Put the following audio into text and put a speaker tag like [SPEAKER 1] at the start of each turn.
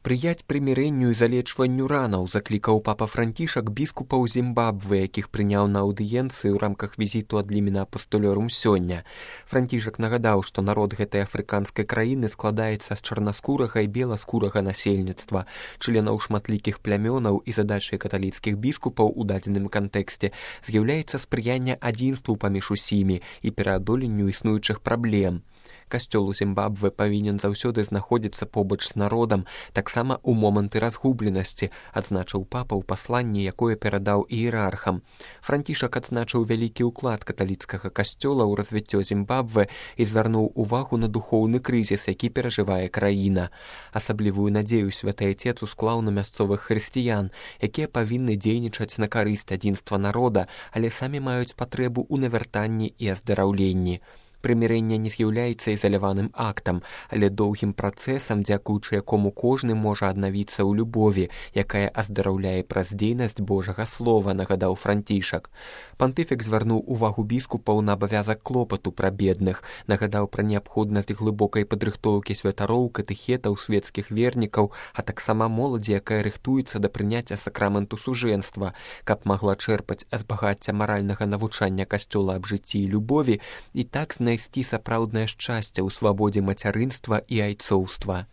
[SPEAKER 1] Спрыяць прымірэнню і залечванню ранаў заклікаў папа Францішак біскупаў Зімбабве, якіх прыняў на аўдыенцыі ў рамках візіту ад лімена апостолёрум сёння. Францішак нагадаў, што народ гэтай афрыканскай краіны складаецца з чарнаскурага і беласкурага насельніцтва, членаў шматлікіх плямёнаў, і задачай каталіцкіх біскупаў у дадзеным кантэксце з'яўляецца спрыянне адзінству паміж усімі і пераадоленню існуючых праблем. Касцёл у Зімбабве павінен заўсёды знаходзіцца побач з народам, таксама ў моманты разгубленасці, адзначыў папа ў пасланні, якое перадаў іерархам. Францішак адзначыў вялікі ўклад каталіцкага касцёла ў развіццё Зімбабве і звярнуў увагу на духоўны крызіс, які перажывае краіна. Асаблівую надзею святы Айцец усклаў на мясцовых хрысціян, якія павінны дзейнічаць на карысць адзінства народа, але самі маюць патрэбу ў навяртанні і аздараўленні. Прымірэнне не з'яўляецца ізаляваным актам, але доўгім працэсам, дзякуючы якому кожны можа аднавіцца ў любові, якая аздараўляе праз дзейнасць Божага слова, нагадаў Францішак. Пантыфік звярнуў увагу біскупаў на абавязак клопату пра бедных, нагадаў пра неабходнасць глыбокай падрыхтоўкі святароў, катэхетаў, свецкіх вернікаў, а таксама моладзі, якая рыхтуецца да прыняцця сакраменту сужэнства, каб магла чэрпаць з багацця маральнага навучання касцёла аб жыцці і любові і так знайсці сапраўднае шчасце ў свабодзе мацярынства і айцоўства.